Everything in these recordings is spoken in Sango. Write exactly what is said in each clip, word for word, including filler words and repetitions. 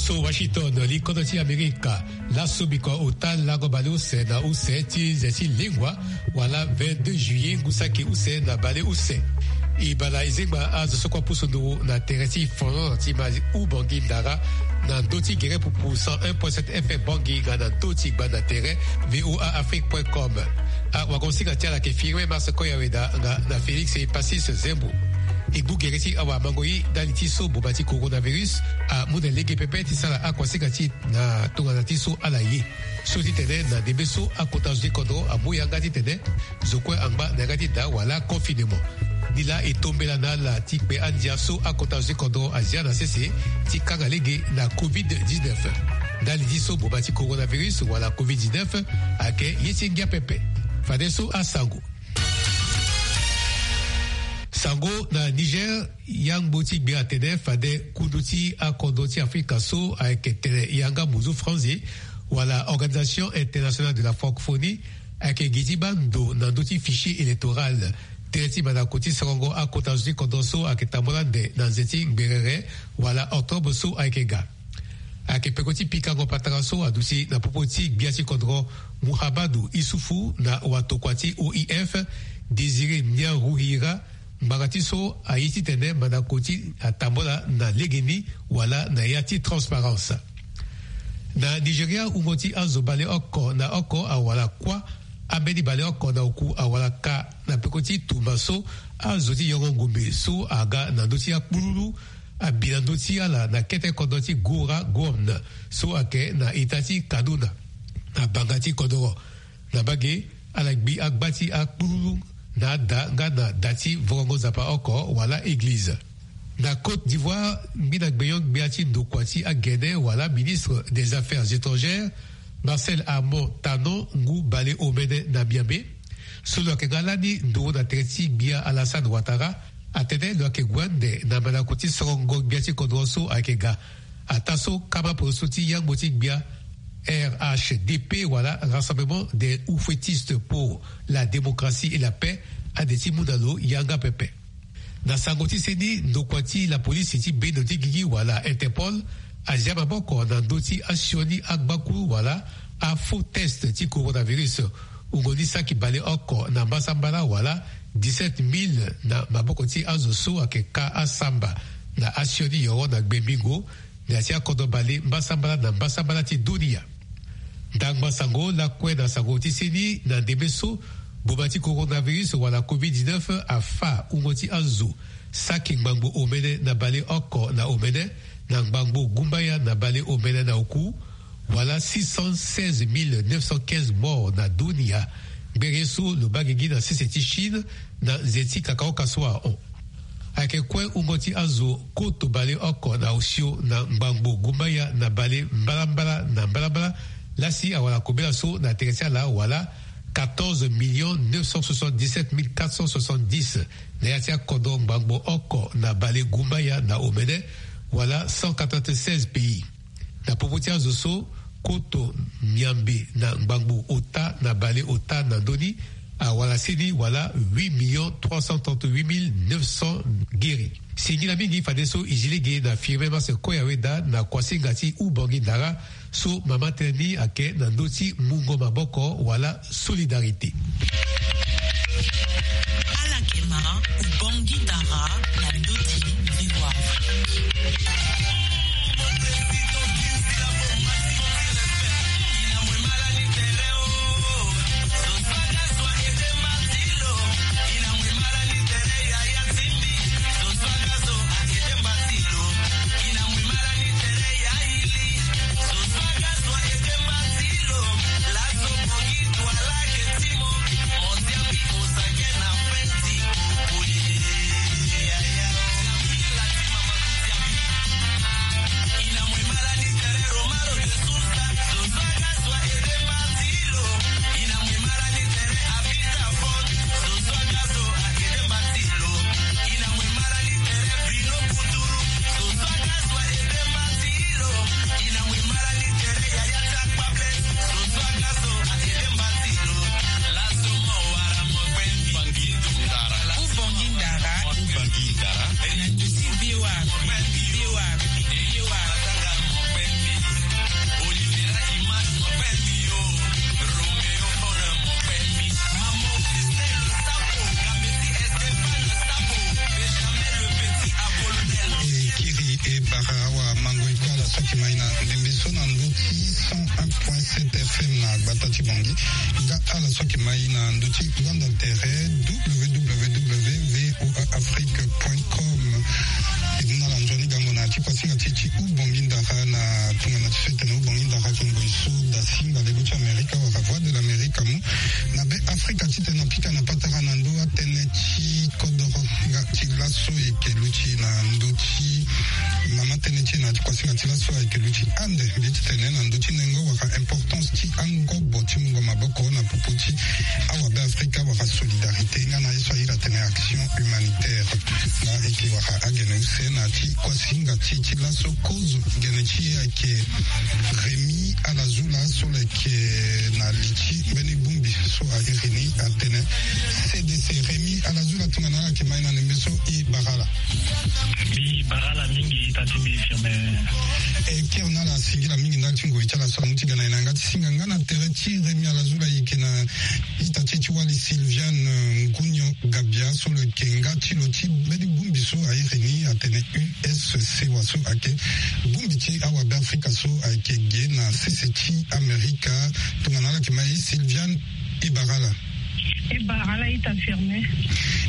So Washington, li kodro ti Amerika. Laso bikua ota lango baleuse na use ti nze ti lengua, wala vingt-deux juillet ngu saki use na baleuse. E bala e zengba azo so kue apusu nduru na tere ti Finlande ti ma hubangui ndara, na ndö ti gere pupu cent un point sept F M Bangui nga na ndö ti gbanda tere V O A Afrique point com. Awagonsinga ti ala ayeke Firmin Mars Koyaweda nga na Félix Passis Zembo. E gbu gere ti awamango ye ndali ti so boma ti coronavirus amu na lege pepe ti sara akuasinga ti e na tongana ti so ala ye. So ti tene na ndembe so akota zo ti kodro amu yanga ti tene zo kue angba na yanga ti da wala confinement. Ni laa e tombela na ala ti kpe andia so akota zo ti kodro azia na sese ti kanga lege na covid dix-neuf. Ndali ti so boma ti coronavirus wala covid dix-neuf ayeke ye ti ngia pepe. Fadeso asango. Sango na Niger, yangbo ti gbia atene fade kundu ti akodro ti Afrika so ayeke tene yanga muzu franzi wala Organisation Internationale de la Francophonie ayeke gi ti baa ndo na ndö ti fichier électoral. Tënë ti mandako ti sorongo akota zo ti kodro so ayeke tambula ande na nze ti ngberere wala octobre so ayeke ga. Ayeke peko ti pikango patara so aduti na popo ti gbia ti kodro Muhammadu Isufu na watokua ti O I F, Désiré Niarouhira, ngbanga ti so aye titene mandako ti atambula na legeni wala na ya ti transparence. Na Nigeria, wungo ti azo baleoko na oko awara kuâ, ambeni baleoko na oku awara ka na peko ti tumba so azo ti yongo ngombe so aga na ndö ti akpululu abi na ndö ti ala na kete kodro ti Gora Gwon so ayeke na ita ti Kaduna, na banga ti kodoro. Na mbage, ala gbi agba ti akpululu na ada nga na da ti vorongo nzapa oko wala eglize. Na Côte d'Ivoire, ngbina gbenyo-gbia ti ndokua ti agene wala ministre des Affaires étrangères, Marcel Armand Tanon, ngu bale omene na miambe. So lo yeke nga lani nduru na tere ti gbia Alassane Ouattara, atene lo yeke gue ande na mandako ti sorongo gbia ti kodro so ayeke ga. Ataa so kama poroso ti yangbo ti gbia R H D P wala Rassemblement des Houffettistes pour la Démocratie et la Paix ade ti mu na lo yanga pepe. Na sango ti seni, ndokua ti lapolisi ti bendo ti gigi wala Interpol azia maboko na ndö ti asioni agbakuru wala afaux test ti coronavirus. Wungo ni saki baleoko na mbasambala wala dix-sept mille na maboko ti azo so ayeke ka asamba na asioni yoro na gbe mbingo na ya ti akodro bale mbasambala na mbasambala ti dunia. Ndangba sango lakue na sango ti seni na ndembe so boma ti coronavirus wala covid dix-neuf afa wungo ti azo saki ngbangbo omene na baleoko na omene, na ngbangbo gumbaya na bale omene na oku, wala six cent seize mille neuf cent quinze morts na dunia. Ngbere so lo baa gigi na sese ti Chine na nze ti kakaoka so ahon. Ayeke kue wungo ti azo koto baleoko na osio na ngbangbo gumbaya na bale mbalambala na mbalambala. Lasi awara kobela so na tere ti ala wala quatorze millions neuf cent soixante-dix-sept mille quatre cent soixante-dix na ya ti akodro ngbangbo oko na bale gumbaya na omene, wala cent quatre-vingt-seize pays. Na popo ti azo so, koto miambe na ngbangbo ota na bale ota na ndö ni awara seni wala huit millions trois cent trente-huit mille neuf cents guéris. Singila mingi fadeso e zi lege na Firmin Mars Koyaweda na kuasinga ti Ubangi Ndara, so mama tënë ni ayeke na ndö ti mungo maboko wala solidarité. Ala yeke ma Ubangi Ndara na ndö ti V O A. T T F M na gbata ti Bangui. Nga ala so ayeke ma e na ndö ti gbanda tere w w w voa afrique point com. E mu na ala nzoni gango na ya ti kuasinga ti e ti Ubongi Ndara na tongana ti so e tene Ubongi Ndara ayeke ngoi so da singa lego ti Amerika wala Voix de l'Amérique amu na Be Afrika titene apika na patara na ndö atënë ti kodoro. Nga ti laso e yeke luti na ndö ti mama tënë ti e na ya ti kuasinga ti laso ayeke luti ande mbi titene na ndö ti nengo wala importance ti angobo ti mungo maboko na popo ti awabe Afrika wala solidarité nga na ye so a iri atene action humanitaire. Nga e yeke wara agene use na ya ti kuasinga ti e ti laso kozo. Gene ti e ayeke Rémi Alazula so lo yeke na li ti mbeni bongbi so a iri ni atene C D C. Rémi Alazula, tongana ala yeke ma e na ndembe so, e bara ala. Mbi bara ala mingi ita ti mbi Firmin. E kiri na ala singila mingi ndali ti ngoi ti ala so amu ti ga na e na yanga ti singa nga na tere ti Rémi Alazula e yeke na ita ti e ti wali Sylviane, eh, Ngunio Gabia so lo yeke nga ti lo ti mbeni bongbi so a iri ni atene U S C wa so ayeke bongbi ti awabe Afrika so ayeke ge na sese ti Amerika. Tongana ala yeke ma e, Sylviane, e bara ala. E bara ala ita Firmin.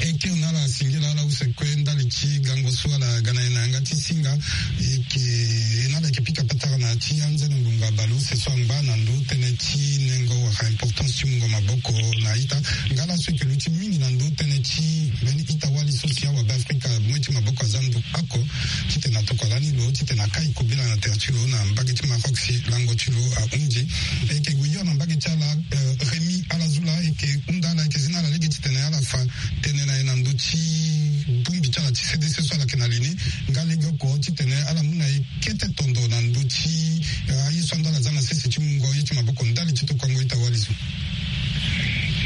E kiri na ala singila ala use kue ndali ti gango so ala ga na e na yanga ti singa. E yeke, e na ala yeke pika patara na ya ti anzene ngonga baleuse so angba na ndö tënë ti nengo wala importance ti mungo maboko na ita. Nga laso e yeke luti mingi na ndö tënë ti mbeni ita-wali so si awabe Afrika amu ye ti maboko aza ndo oko titene atokua lani lo titene akai kobela na tere ti lo na mbage ti Maroc si lango ti lo ahunzi. E yeke gue hio na mbage ti ala, eh, Rémi Alazula, e yeke hunda ala, e yeke zi na ala lege titene ala fa tënë na e na ndö ti bongbi ti ala ti C D C so ala yeke na li ni. Nga legeoko titene ala mu na e kete tondo na ndö ti, eh, aye so ando ala za na sese ti mungo ye ti maboko ndali ti tokuango ita-wali so.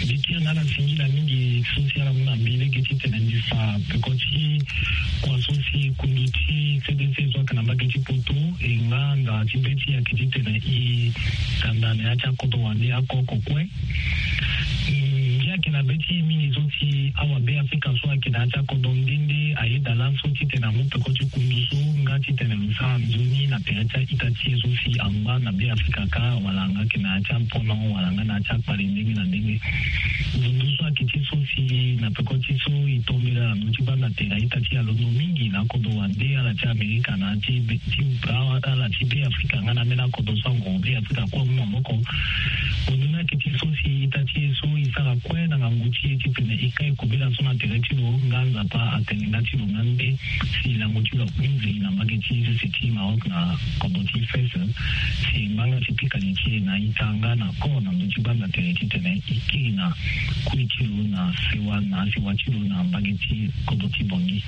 Mbi kiri na ala singila mingi so si ala mu na mbi lege titene mbi fa peko ti kua so si kundu ti C D C so ayeke na mbage ti Poto, e nga nda ti be ti e ayeke titene e tanda na ya ti akodro wande oko oko kue. Mm, ngia ayeke na be ti e mingi so si awabe Afrika so ayeke na ya ti akodro nde nde ayeda laso titene amu peko ti kundu so nga titene lo sara nzoni na tere ti a-ita ti e so si angba na Be Afrika kâ wala nga ayeke na ya ti apono wala nga na ya ti akpale ndenge na ndenge. Nzoni so ayeke ti so si na peko ti so e tombela na ndö ti gbanda tere a-ita ti e alondo mingi na akodro wande ala ti Amerika na ya ti be ti baa ala ti Be Afrika nga na ambeni akodro so angoro Be Afrika kue amu maboko. Ndo ni ayeke ti so si ita ti e so e sara kue na ngangu ti e titene e kai kobela so na tere ti lo nga Nzapa atene nga ti lo nga nde si lango ti lo ahunzi na mbage ti sese ti Maroc na kodro ti Fès. Si e ngba nga ti pika li ti e na ita nga na koro na ndö ti gbanda tere titene e kiri na kui ti lo na sewa na asewa ti lo na mbage ti kodro ti Bangui.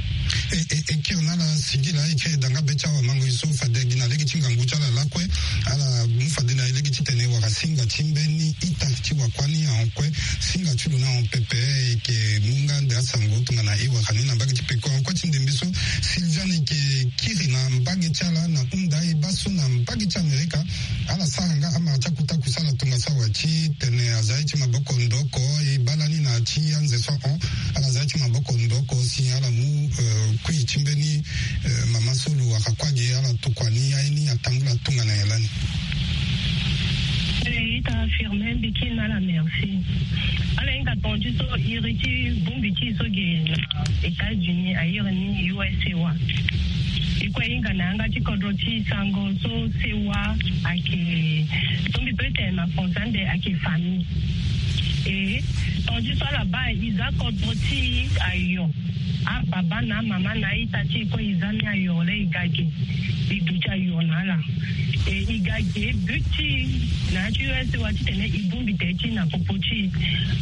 E, e, e kiri na ala singila, e kiri da nga be ti awamango e so fade gi na lege ti ngangu ti ala lakue. Ala mu fade na e lege titene e wara singa ti mbeni ita ti wakuâ ni ahon kue. Singa ti lo ni ahon pepe, e yeke mu nga nde asango tongana e wara ni na mbage ti peko ahon kue ti ndembe so. Sylviane, e yeke kiri na mbage ti ala na hunda e baa so na mbage ti Amerika ala sara nga amara ti akuta kusa ala tongaso awe titene aza ye ti maboko ndo oko. E baa lani na ya ti anze so ahon ala za ye ti maboko ndo oko si ala mu, eh, kui ti mbeni, eh, mama so lo wara kuâ ge ala tokua ni aye ni atambula tongana nyen lani. Eh, ita Firmin, mbi kiri na ala merci. Ala hinga tonga ti so iri ti bongbi ti e so ge na États-Unis a iri ni U S A wa. E kue e hinga na yanga ti kodro ti e sango so sewa ayeke so mbi peut tene na français ande ayeke famille. E tonga ti so ala baa e za kodro ti e ayo. Ababa na amama na a-ita ti e kue e za ni ayo le e ga ge. E duti ayo na ala. E, e ga ge but ti e na ya ti U S A wa titene e bongbi tere ti e na popo ti e.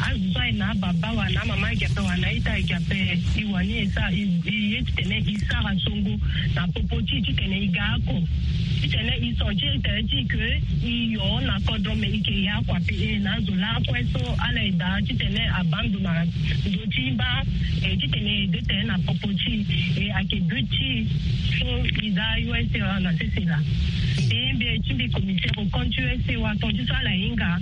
Azo so aye na ababa wala na amama agi ape wala na a-ita agi ape, e wani e sara, e, e ye titene e sara songo na popo ti e titene e ga oko. Titene e senti tere ti e ke e yo na kodro me e yeke ye oko ape. E na azo lakue so ala yeda titene abaa ndo na ndö ti mba, e titene e de tene na popo ti e. E ayeke but ti e so e za U S A wa na sese laa. Mbi mbi ti mbi commissaire au compte U S A wa tonga ti so ala hinga.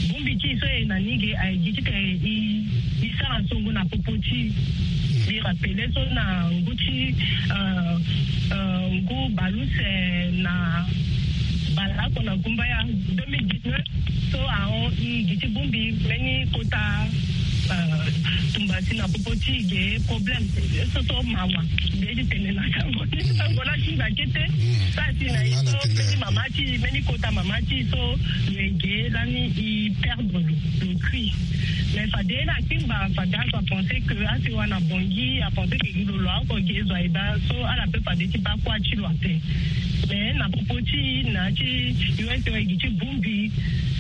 Bongbi ti e so e na ni ge aye gi titene e, e sara songo na popo ti e. Mbi rappele so na ngu ti, euh, euh, ngu baleuse na Bala oko na gumbaya deux mille dix-neuf, so ahon i gi ti bongbi mbeni kota, euh, tumba si na popo ti ge problème, so so mawa. Nde ti tene na sango ti sango la ti nda kete. Sa ti na i so mbeni mama ti, mbeni kota mama ti so lo ege lani i perdre le, le cri. Mais fade na kingba fade azo a pensé que asi wa na bongi, a pensé que gi lo lo oko gi ezo a eba so ala pe fade ti ba kua ti lo ape. Mais na popo ti na ti U S A gi ti bongbi,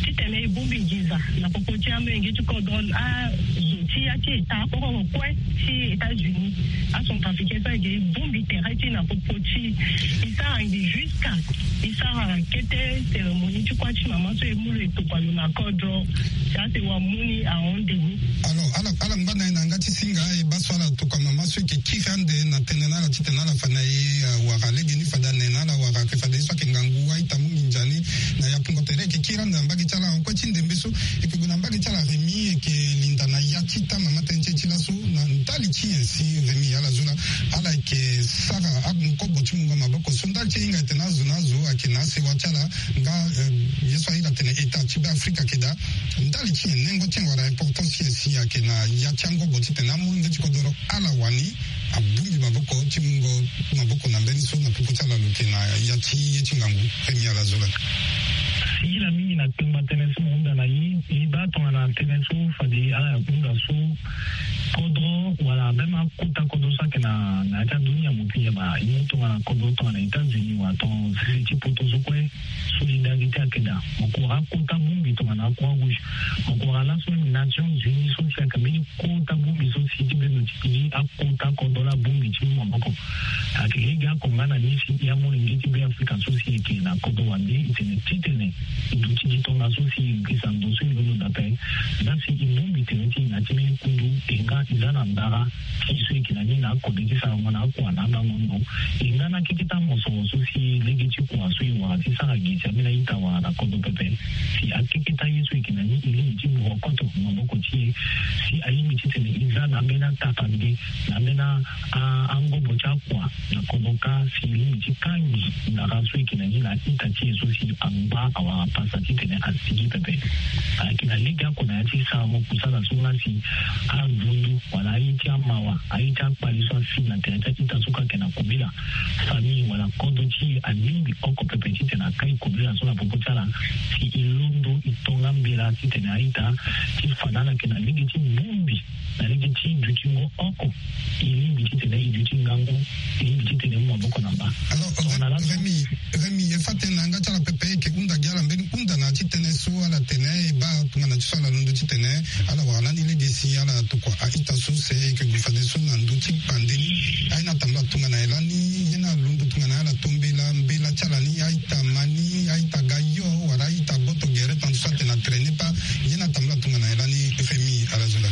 ti tene i bongbi nginza na popo ti amolenge ti kodro, azo ti ya ti eta oko kue ti États-Unis, acentrafricain so ege i bongbi tere ti na popo ti i sara ngi jusqu'à i sara kete cérémonie ti kua ti mama so e mu lo e tokua lo na kodro. Ti ase wa mu ni ahon nde ni. Alors ala ala ngba na ye na yanga ti singa e baa so ala tokua mama so e ke kiri ande na tene na ala ti tene ala fa na ye, euh, wara legeni fade ane na ala wara ake fade ye so ake ngangu a-ita mu nginza ni. Na yapungo tere e ke kiri ande na mbage ti ala, en kue ti ndembe so e ke gue na mbage ti ala Rémi, e ke linda na ya ti ita mama tënë ti e ti laso na ndali ti nyen si Rémi ala zo la ala e ke sara akobo ti mungo maboko so ndali ti e hinga e tene azo na azo ake na asewa ti ala. Nga, euh, ye so a iri atene eta ti Beafrika ake daa. Ndali ti nyen, nengo ti nyen wala importance ti nyen si ake na ya ti angobo ti tene amolenge ti kodoro ala wani abongbi maboko ti mungo maboko na mbeni so na popo ti ala lo ke na ya ti ye ti ngangu? Rémi ala zo la. Singila mingi na kpengba tënë so mo hunda na ye. E baa tongana tënë so fade ala hunda so kodro wala même akota kodro so ake na, na ya ti adunia mo pi yeba, e mu tongana kodro tongana États-Unis wala ton sese ti poto so kue. Solidarité ake daa. Mo kora akota bongbi tongana Croix Rouge. Mo kora laso même Nations Unies so si ake mbeni kota bongbi so si ti bendo ti gi akota kodro la bongbi ti mu maboko. Ake lege oko nga na ni si ya molenge ti Beafrika so si e ke na kodro wande e tene titene e duti gi tongaso si e girisa ndo so e londo daa ape. Nda si e bongbi tere ti e na ya ti mbeni kundu e nga e za na ndara ti e so e ke na ni na akode ti sarango na akua na abango ndo. E nga na akeketa mosoro so si lege ti kua so e wara ti sara gi si ambeni a-ita wara na kodro pepe. Si akeketa ye so e ke na ni e lingbi ti borokoto maboko ti e. Si alingbi titene e za na ambeni atapande na ambeni a, angobo ti akua na kodro ka si e lingbi ti kangi ndara so e ke na ni na a-ita ti e so si angba awara pasa titene asigi pepe. Ayeke na lege oko na ya ti sarango kusala so nga si andundu wala aye ti amawa, aye ti akpali so asi na tere ti a-ita so ka ayeke na kobela. Famille wala kodro ti e alingbi oko pepe titene akai kobela so na popo ti ala si e londo e tonga mbela titene a-ita ti fa na ala ayeke na lege ti bongbi na lege ti dutingo oko. E lingbi titene e duti ngangu, e lingbi titene e mu maboko na mba. Alors, Rémi, Rémi, e fa tënë na yanga ti ala pepe e yeke hunda gi ala mbeni hunda na ya ti tënë so ala tene e baa tongana ti so ala londo titene ala wara lani lege si ala tokua a-ita so se e yeke gue fadeso na ndö ti kpande ni. Aye ni atambula tongana nyen lani? Ye ni alondo tongana nyen ala to mbela, mbela ti ala ni, a-ita ma ni, a-ita ga yo wala a-ita boto gere tandis so atene na traîner pas? Ye ni atambula tongana nyen lani, Rémi ala zo la?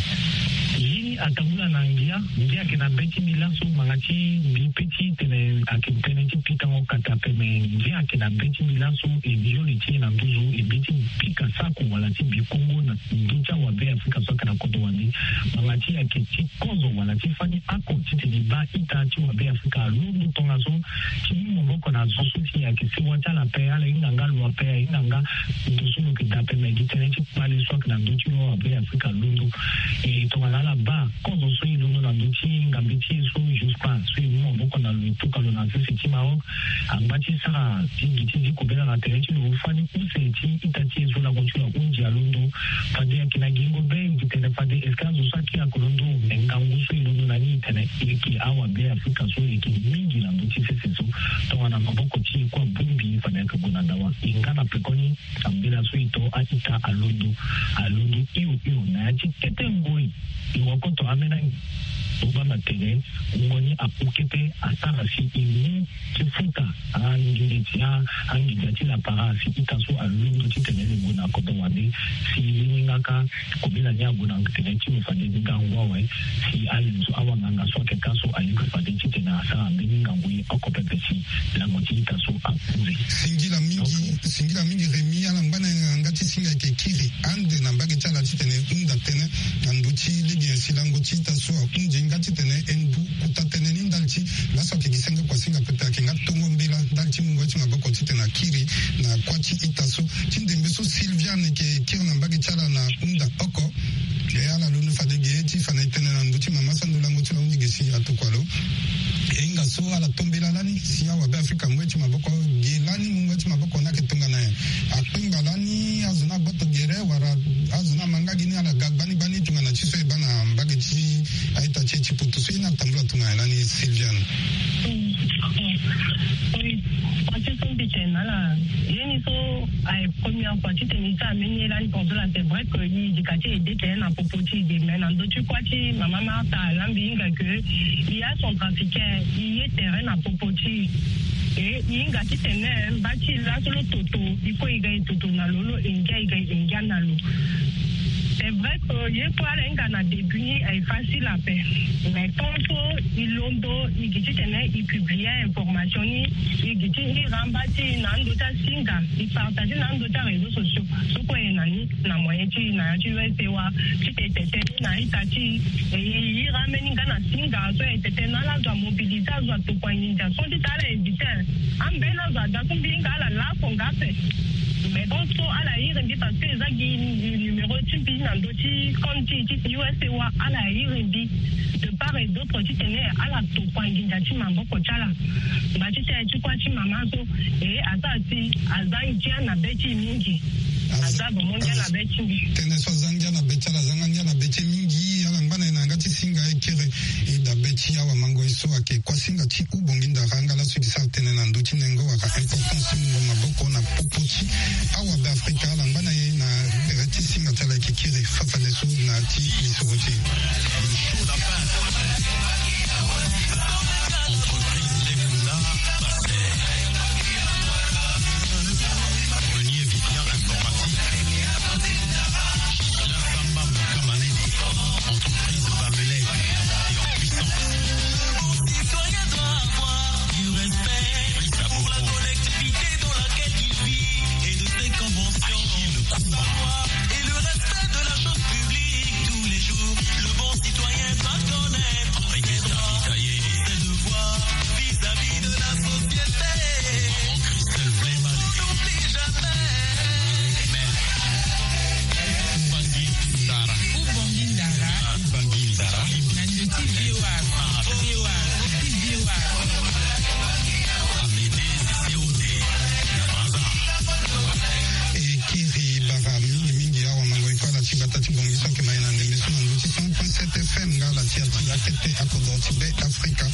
Ye ni atambula na ngia. Ngia ayeke na be ti mbi laso, ngbanga ti mbi pe ti tene ayeke tënë ti pikango kata ape, me ngia ayeke na be ti mbi laso. E yoli ti e na nduzu e be ti pika sako wala ti bi kongo na ndö ti awabe Afrika so ayeke na kodro wande. Ngbanga ti e ayeke ti kozo wala ti fani oko titene e baa ita ti wabe Afrika alondo tongaso ti mu maboko na zo so si ayeke sewa ti ala ape, ala hinga nga lo ape, ahinga nga ndo so lo yeke daa ape, me gi tënë ti kpale so ayeke na ndö ti lo awabe Afrika alondo. E tongana ala baa kozo so e londo na ndö ti ngambe ti e so Jospin so e mu maboko na lo e tuka lo na sese ti Maroc. Angba ti sara ti gi ti zi kobela na tere ti lo fani use ti ita ti e so lango ti lo ahunzi alondo. Fade ayeke na gingo be e yeke tene fade est-ce que azo so akiri alondo, me ngangu so e londo na ni e tene e yeke awabe Afrika so e yeke mingi na ndö ti sese so. Tongana maboko ti e kue abongbi fade ayeke gue na dawa. E nga na pekoni ambela so e to a-ita alondo. Alondo hio hio na ya ti kete ngoi. E wakoto ambeni angi. Lo baa na tene ngoni apu kete asara si e mu ti futa angenge ti a, anginza ti lapara si ita so alondo titene lo gue na kodro wande. Si e lingbi nga ka kobela ni ague na tere ti lo fade ngangu awe. Si alinzo awanganga so ayeke ka so alingbi fade titene asara mbeni ngangu ye oko pepe si lango ti ita so akunze. Singila mingi, singila mingi Rémi, ala ngba na yanga ti singa ayeke kiri ande na mbage ti ala titene e hunda tënë na ndö ti lege nyen si lango ti ita so ahunzi nga titene e ndu kota tënë ni ndali ti laso ayeke gi senge kuasinga pepe, ayeke nga tongo mbela ndali ti mungo ye ti maboko titene akiri na kuâ ti ita so. Ti ndembe so Sylviane ayeke kiri na mbage ti ala na hunda oko. E ala londo fade ge ti fa na e tënë na ndö ti mama so ando lango ti lo ahunzi ge si atokua lo. E hinga so ala to mbela lani si awabe Afrika amu ye ti maboko ge lani, mungo ye ti maboko ni ayeke tongana nyen? Akpengba lani azo ni agboto gere wala azo ni ama nga gi ni ala ga gbani gbani tongana ti so e baa na mbage ti a-ita ti e ti poto so ye ni atambula tongana nyen lani, Sylviane? Oui. Parti so mbi tene na ala, ye ni so aye première fois titene e ti ameni ye lani tongaso laa, c'est vrai que e yeke ti ede tene na popo ti e de, mais na ndö ti kuâ ti mama Martha alambi e hinga que e ya centrafricain, e ye tere na popo ti e. E, e hinga titene mba ti e laso lo toto, e kue e ga e toto na lo, lo engia e ga e engia na lo. C'est vrai que ye kue ala hinga na début ni aye facile ape. Mais tant so e londo, e gi titene e publier information ni, e gi ti hira mba ti e na ando ti asinga, e partager na ando ti aréseaux sociaux so kue e na ni na moyen ti e na ya ti U S A wa, titene e tete ni na ita ti e, e hira ambeni nga na singa so e tete na ala azo amobiliser, azo atokua nginza so titene ala éviter ambeni azo ada so mbi hinga ala lako nga ape. Mais donc so ala iri mbi parce que eza gi numéro ti mbi na ndö ti compte ti, ti U S A wa, ala iri mbi de part et d'autre titene ala tokua nginza ti maboko ti ala. Mba titene ti kuâ ti mama so, e, asara si aza ngia na be ti e mingi. Aza vraiment ngia na be ti mbi. Tënë so aza ngia na be ti ala, aza nga ngia na be ti e mingi. Ala ngba na e na yanga ti singa e kiri e dabe ti awamango ye so ayeke kuasinga ti Ubongi Ndara nga laso e yeke sara tënë na ndö ti nengo wala importance ti mungo maboko na popo ti awabe Afrika. Ala ngba na e na tere ti singa ti ala e yeke kiri fafane so na ti lisoro ti e. Entreprise Bamelec, en puissance. Nos citoyens doivent avoir du respect pour la collectivité dans laquelle ils vivent et de ses conventions. Achille Koumba. Savoir et le respect de la chose publique tous les jours. Le bon citoyen doit connaître ses droits, ses devoirs vis-à-vis de la société. Christelle Vlemale. On n'oublie jamais. Ubongi Ndara. Ubongi Ndara. Ubongi Ndara. Na ndö ti V O A. V O A. V O A. Amédée Sissi Ode. E kiri bara mingi mingi awamango e kue ala ti gbata ti Bangui so ayeke ma e na ndembe so na ndö ti cent point sept F M nga ala ti ya ti akete akodro ti Be Afrika.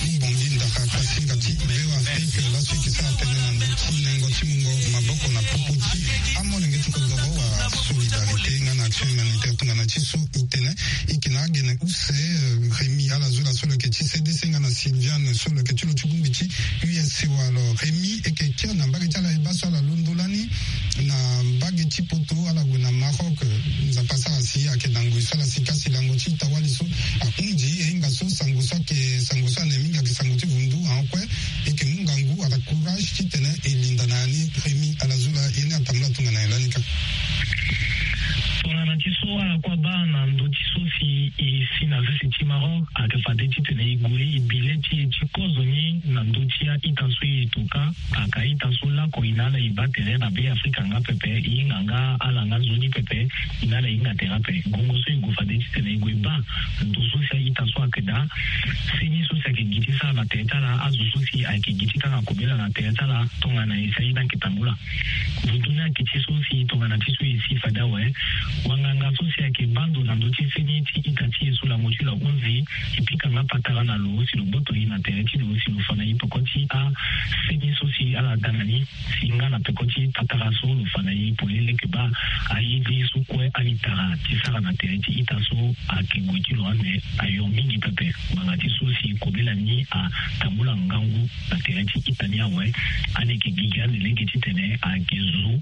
Ubongi Ndara, kuasinga ti V O A Afrique, laso e yeke sara tënë na ndö ti nengo ti mungo maboko na popo ti amolenge ti kodro wala solidarité nga na action humanitaire. Tongana ti so e tene e yeke na agene use, euh, Rémi Alazoula so lo yeke ti C D C nga na Sylviane so lo yeke ti lo ti bongbi ti U S A wa. Alors Rémi, e yeke kiri na mbage ti ala e baa so ala londo lani na mbage ti poto, ala gue na Maroc. Nzapa asara si ayeke na ngoi so ala sika si lango ti ita-wali so ahunzi. E hinga so sango so ayeke sango so ane mingi ayeke sango ti vundu, ahon kue e yeke mu ngangu wala courage titene e linda na ya ni. Rémi Alazoula, ye ni atambula tongana nyen lani kâ? Tongana ti so ala kue abaa na ndö ti so si e si na sese ti Maroc, ayeke fade titene e gue e bi le ti e ti kozo ni na ndö ti a-ita so e to kâ. Aka ita so lakue e na ala e baa tere na Be Afrika nga pepe, e hinga nga ala nga nzoni pepe, e na ala e hinga tere ape. Ngongo so e gue fade titene e gue e baa ndo so si a-ita so ayeke daa, seni so si ayeke gi ti sara na tere ti ala, azo so si ayeke gi ti kanga kobela na tere ti ala, tongana e si aye ni ayeke tambula. Vutu ni ayeke ti so si tongana ti so e si fade awe, wanganga so si ayeke baa ndo na ndö ti seni ti ita ti e so lango ti lo ahunzi, e pika nga patara na lo si lo gboto e na tere ti lo si lo fa na e peko ti aseni so si ala da na ni. Si nga na peko ti patara so lo fa na e polele leke baa, aye ti e so kue ani tara ti sara na tere ti ita so ayeke gue ti lo ande ayo mingi pepe. Ngbanga ti so si kobela ni atambula ngangu na tere ti ita ni awe, ani yeke gigi ande lege titene ayeke zo.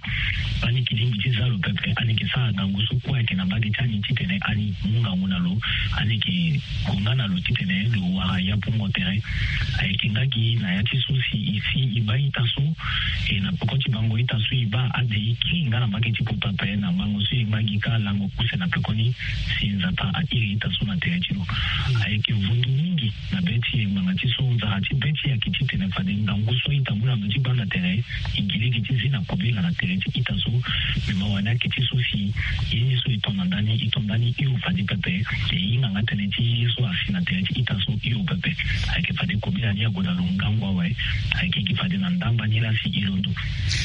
Ani yeke lingbi ti za lo pepe, ani yeke sara ngangu so kue ayeke na mbage ti ani titene ani mu ngangu na lo. Ande yeke gue nga na lo titene lo wara ya pungo tere. Ayeke nga gi na ya ti so si e si e baa ita so. E na peko ti bango ita so e baa ade e kiri nga na mbage ti poto ape na mango so e ngba gi kâ lango use na pekoni. Si Nzapa a iri ita so na tere ti lo. Ayeke vundu mingi na be ti e ngbanga ti so nzara ti be ti e ayeke titene fade ngangu so ita mu na ndö ti gbanda tere. E gi lege ti zi na kobela na tere ti ita so. Me mawa ni ayeke ti so si ye ni so e to na ndani e to ndani hio fade pepe. E hinga nga tënë ti ye so asi na tere ti ita so hio pepe. Ayeke fade kobela ni ague na lo ngangu awe. Ayeke gi fade na ndangba ni laa si e londo.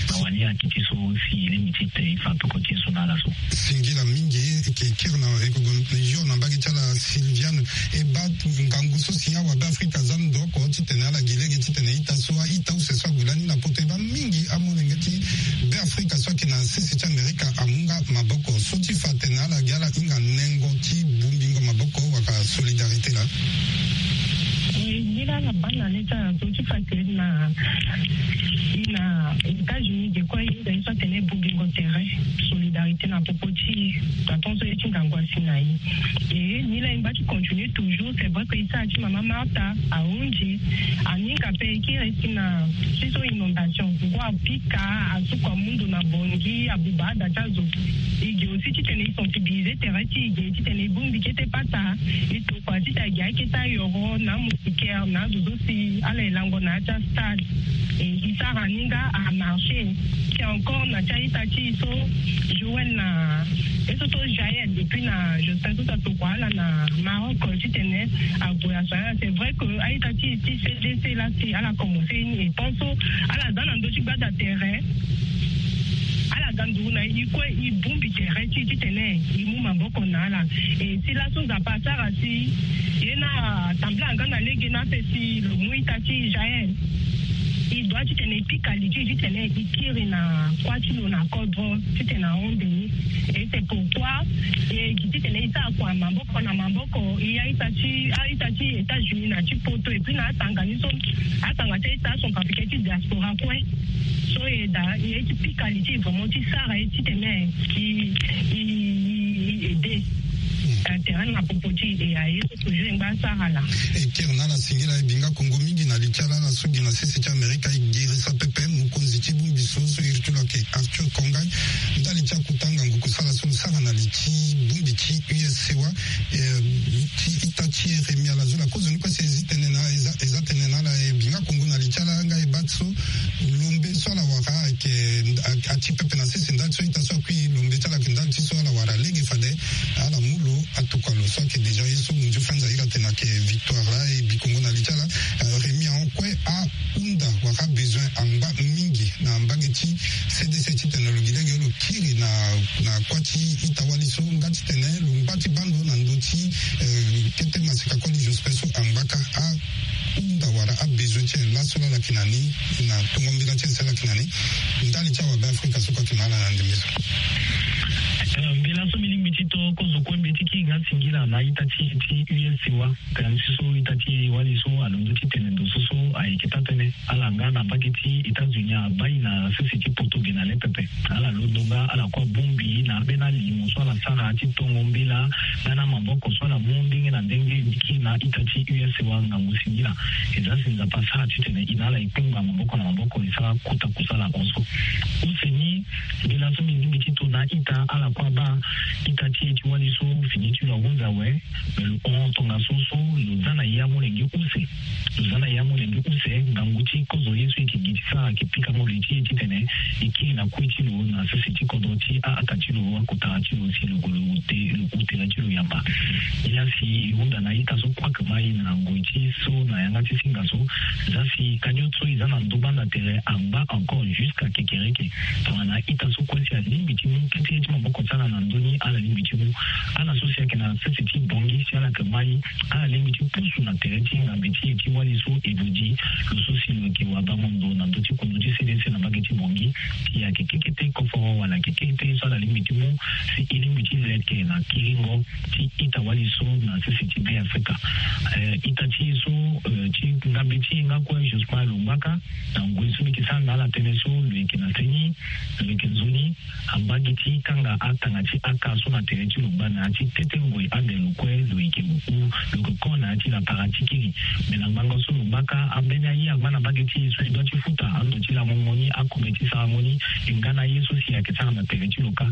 Mawa ni ayeke ti so si e lingbi ti te e fa peko ti e so na ala so. Singila mingi. E yeke kiri na e yeke gue yo na mbage ti ala Sylviane. E baa ngangu so si awabe Afrika aza ndo oko titene ala gi lege titene ita so a-ita use so ague lani na poto e baa mingi amolenge ti be Afrika so ayeke na sese ti Amerika amu nga maboko so ti fa atene ala gi ala hinga nengo ti bongbingo maboko wala solidarité laa. E ngira na baa na le ti ala so ti fa atene na e na États-Unis ge kue e hinga ye so atene bongbingo tere, solidarité na popo ti e. Na tongaso ye ti ngangu asi na e. E ni laa e ngba ti continuer toujours. C'est vrai que e sara ti mama Martha ahunzi. Aninga ape e kiri si na ti so inondation ngu apika, asuku amu ndo na bongi, abuba ada ti azo. E ge aussi titene e sensibiliser tere ti e ge titene e bongbi kete pata. E tokua titene a ge akete ayoro na amoustiquaire na azo so si ala e lango na ya ti astade. E e sara ni nga amarché. Si encore na ti a-ita ti e so Joël na ye so so Jaël et puis na Jospin so so atokua ala na Maroc titene ague asoigner ala. C'est vrai que a-ita ti e ti C D C laa si ala commencer ni e tant so ala za na ndö ti gbanda tere. Ala ga nduru na e kue e bongbi tere ti e titene e mu maboko na ala. E si laso Nzapa asara si ye ni atambula nga na lege ni ape si lo mu ita ti Jaël. E doit titene e pika li ti e titene e kiri na kuâ ti lo na kodro titene ahon nde ni. Et c'est pourquoi e gi titene e sara kua maboko na maboko. E a-ita ti a-ita ti États-Unis na ti poto et puis na atanga ni so atanga ti a-ita acentrafricain ti diaspora kue. So e daa e ye ti pika li ti e vraiment ti sara ye titene e e e e aide. Tere na popo ti e aye so toujours e ngba asara laa. E kiri na ala singila e bi nga kongo mingi na li ti ala ala so gi na sese ti Amerika e girisa pepe mokonzi ti bongbi so so iri ti lo ayeke Arthur Kongai. Ndali ti akota ngangu kusala so lo sara na li ti bongbi ti U S C wa. Eh, ti ita ti Yeremia Lazola kozoni kue si e zi tene na e za e za tene na ala e bi nga kongo na li ti ala nga e baa so lombe so ala wara ayeke a- ati pepe na sese ndali so ita so akui lombe ti ala ayeke ndali ti so ala wara lege fade ala mu lo atokua lo so ayeke déjà ye so munzu fenza iri atene ayeke victoire laa e bi kongo na li ti ala. Eh, Rémi ahon kue ahunda wala abezoin angba mingi na mbage ti C D C titene lo gi lege lo kiri na na kuâ ti ita-wali so nga titene lo ngba ti baa ndo na ndö ti eh, kete maseka koli Jospin so angba kâ ahunda wala abezoin ti e laso laa ala yeke na ni na tongo mbela ti e si ala yeke na ni. Ndali ti awabe Afrika so kue ayeke na ala na ndembe so. Eh, mbela so mbi lingbi ti to kozo kue mbi ye ti kiri nga singila na ita ti e ti U S C wa. Tënë ti so ita ti e wali so alondo titene ndo so so ayeke taa-tënë. Ala nga na mbage ti États-Unis abaa e na sese ti poto ge na le pepe. Ala londo nga ala kue abongbi na ambeni alimo so ala sara ti tongo mbela nga na maboko so ala mu ndenge na ndenge ti kiri na ita ti U S C wa ngangu singila. E za si Nzapa asara titene e na ala e kpengba maboko na maboko e sara kota kusala hon so. Use ni mbela so mbi lingbi ti to na ita ala kue abaa ita ti e ti wali so fini ti lo ahunzi awe. Me lo hon tongaso so lo za na ya molenge use. Lo za na ya molenge use ngangu ti kozo ye so e yeke gi ti sara ayeke pika molenge ti e titene e kiri na kue ti lo na sese ti kodro ti a-aka ti lo akotara ti lo si lo gue lo ute lo hu tere ti lo yamba. Nilaa si e hunda na ita so kue ayeke ma e na ngoi ti so na yanga ti singa so za si kanio so e za na ndo banda tere angba encore jusqu'à kekereke. Tongana ita so kue si alingbi ti mu kete ye ti maboko ti ala na ndö ni ala lingbi ti mu. Ala so si ayeke na sese ti Bangui si ala yeke ma e ala lingbi ti pusu na tere ti ngambe ti e ti wali so e dodi lo so si lo yeke wabango ndo na ndö ti kundu ti C D C na mbage ti Bangui. Si ayeke kekete koforo wala ayeke kekete so ala lingbi ti mu si e lingbi ti leke na kiringo ti ita-wali so na sese ti Be Afrika. Eh, ita ti e so eh, ti ngambe ti e nga kue Jospin lo ngba kâ na ngoi so mbi yeke sara na ala tënë so lo yeke na seni lo yeke nzoni. Ambagi ti kanga aka tanga ti aka so na tere ti lo gba na ya ti tete ngoi ande lo kue lo yeke lo huru lo yeke kon na ya ti la paratiki ni. Me na ngbanga so lo gbaka ambeni aye angba na mbage ti e so e doit ti futa ando ti lango moni akobe ti sarango ni. E nga na ye so si ayeke sara na tere ti lo kâ.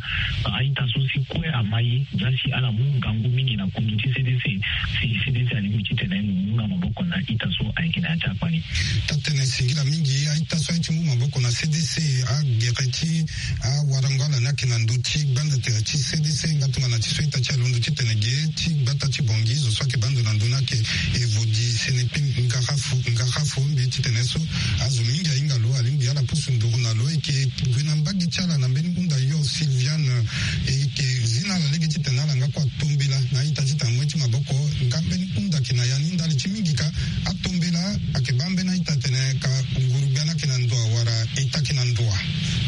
Aita so si kue ama ye ndia si ala mu ngangu mingi na kundu ti C D C. Si C D C alingbi titene lo mu nga maboko na ita so ayeke na ya ti akpali. Tatene singila mingi aita so aye ti mu maboko na C D C agere ti awarango ala ni ayeke na ndö ti gbanda tere ti C D C nga tongana ti so ita ti alondo titene ge ti gbata ti bongi zo so ayeke bando na ndö ni ayeke evo di senepi ngara fo ngara fo mbi titene so azo mingi ahinga lo alingbi ala pusu nduru na lo eke gue na mbage ti ala na mbeni hunda yo Sylviane. Eke zi na ala lege titene ala nga kue atombela na ita ti tanga moi ti maboko nga mbeni hunda ayeke na ya ni ndali ti mingi ka atombela ayeke baa mbeni aita atene ka nguru gbia ni ayeke na ndoa wala eta ayeke na ndoa.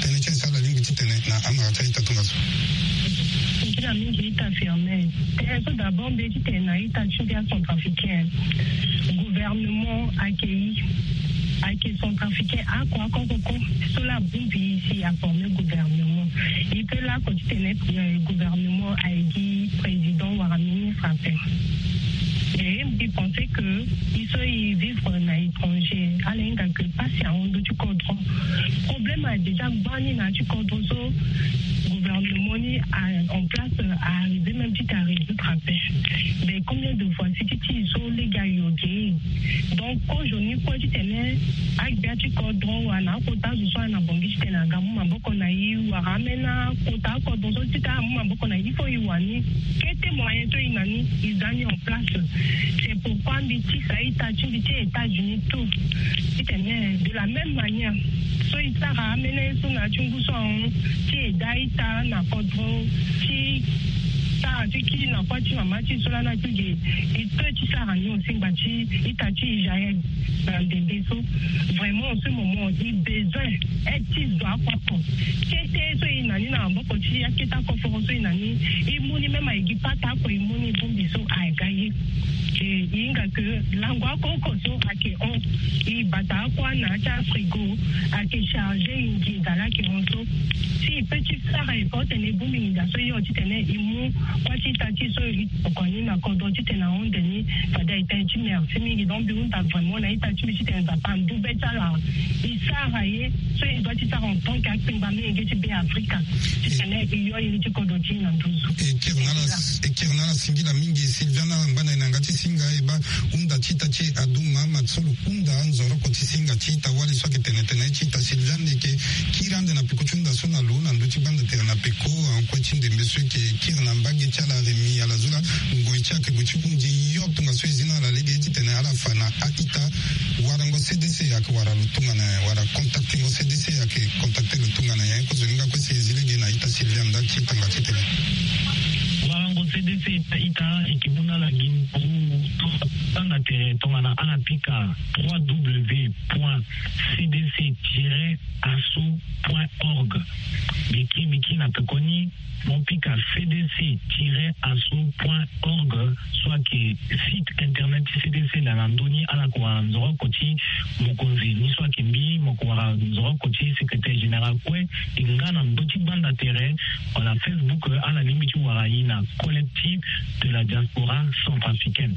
Tënë ti e si ala lingbi titene na amara ti aita tongaso. Singila mingi ita Firmin. Tënë so d'abord mbi ye titene na ita ti ndia centrafricain. Gouvernement ayeke i ayeke centrafricain ako ako koko so la abongbi i si aforme gouvernement. I peut lako titene gouvernement aye gi président wala ministre ape. E mbi pense que i so i vivre na étranger ala hinga que pasi ahon ndö ti kodro. Problème a déjà gbani na ya ti kodro so gouvernement ni a en place a arrivé même ti ta résoudre ape. Mais combien de fois si ti ti so lege ayo ge? Donc kozo ni kue titene agbia ti kodro wala akota zo so ayeke na bongi titene aga mu maboko na i wala amena kota akodro so titene amu maboko na i fo i wani kete moyen so i na ni i za ni en place. C'est pourquoi mbi tisa ita ti mbi ti États-Unis tout titene de la même manière so i sara amena ye so na ya ti ngu so ahon ti eda ita na kodro ti sara ti kiri na kua ti mama ti so lana ti ge. I peut ti sara ni aussi ngba ti ita ti Israël na ndembe so. Vraiment en ce moment i besoin aide ti zo oko oko. Kete so i na ni na maboko ti akete akoforo so i na ni i mu ni même aye gi pata oko i mu ni bongbi so aga ye. E i hinga que lango oko oko so ayeke hon i bata akua na ya ti afrigo ayeke chargé i nginza la ayeke hon so. Si i peut ti sara effort titene i bongbi nginza so i hon titene i mu kua ti ita ti so i tokua ni na kodro titene ahon nde ni. Fade aye tënë ti merci mingi donc mbi hunda vraiment na ita ti mbi titene Nzapa andu be ti ala. I sara ye so i doit ti sara en tant que akpengba menge ti be Afrika titene i yo iri ti kodro ti i na nduzu. E kiri na ala singila mingi Sylviane ala ngba na e na yanga ti singa e baa hunda ti ita ti e Adou Mahamat so lo hunda anzoroko ti singa ti ita wali so ayeke tene tene ti ita Sylviane e yeke kiri ande na peko ti hunda so na lo na ndö ti gbanda tere na peko ankue ti ndembe so e yeke kiri na mbage ti ala Rémi Alazula. Ngoi ti ayeke gue ti hundi yo tongaso e zi na ala lege titene ala fa na a-ita warango C D C ayeke wara lo tongana nyen wala contactengo C D C ayeke contacte lo tongana nyen kozo ni nga kue si e zi lege na ita Sylviane ndali ti tanga titene. Warango C D C ita ita e yeke mu na ala gi nduru tongana tere tongana ala pika trois W point C D C tiret asso point org. Mbi kiri mbi kiri na pekoni mo pika C D C tiret asso point org so ayeke site internet ti C D C laa na ndö ni ala yeke wara nzoroko ti mokonzi ni so ayeke mbi mo yeke wara nzoroko ti secrétaire général kue. E nga na ndö ti gbanda tere wala Facebook ala lingbi ti wara ye na collectif de la diaspora centrafricaine.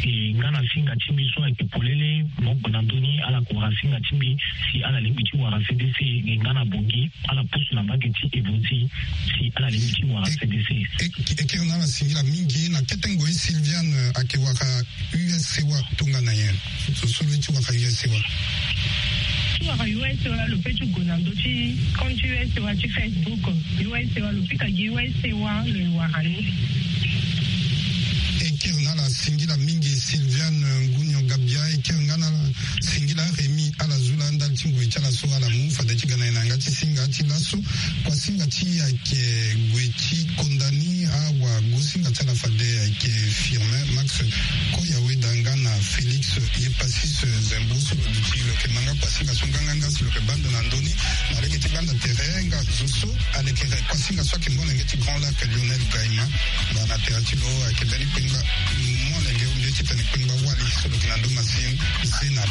E nga na singa ti mbi so ayeke polele mo gue na ndö ni ala yeke wara singa ti mbi si ala lingbi ti wara C D C e nga na bongi ala pusu na mbage ti evo ti si ala lingbi ti wara C D C. E kiri na ala singila mingi na kete ngoi Sylviane ayeke wara U S C wa tongana nyen? So so lo ye ti wara U S C wa. Ti wara U S C wa lo pe ti gue na ndö ti compte U S C wa ti Facebook. U S C wa lo pika gi U S C wa lo ye wara ni. E kiri na ala singila mingi Sylviane Ngunio Gabia e kiri nga na ala singila Rémi Alazula ndali ti ngoi ti ala so ala mu fade ti ga na e na yanga ti singa ti laso. Kuasinga ti e ayeke gue ti konda ni awagosinga ti ala fade ayeke Firmin Max Koyaweda nga na Félix Yepasis Zembo so lo duti lo yeke ma nga kuasinga so nganganga si lo yeke bando na ndö ni na lege ti gbanda tere nga zo so alekere kuasinga so ayeke molenge ti Grand Lac Lionel Gaima. Nga na tere ti lo ayeke mbeni kpengba molenge mbeti Tene kpengba wali so lo yeke na ndö masini. Zena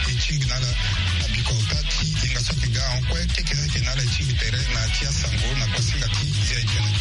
e tingbi na ala na bikota ti hinga so ayeke ga ahon kue. Keke so ayeke na ala e tingbi tere na ya ti asango na kuasinga ti zia etene.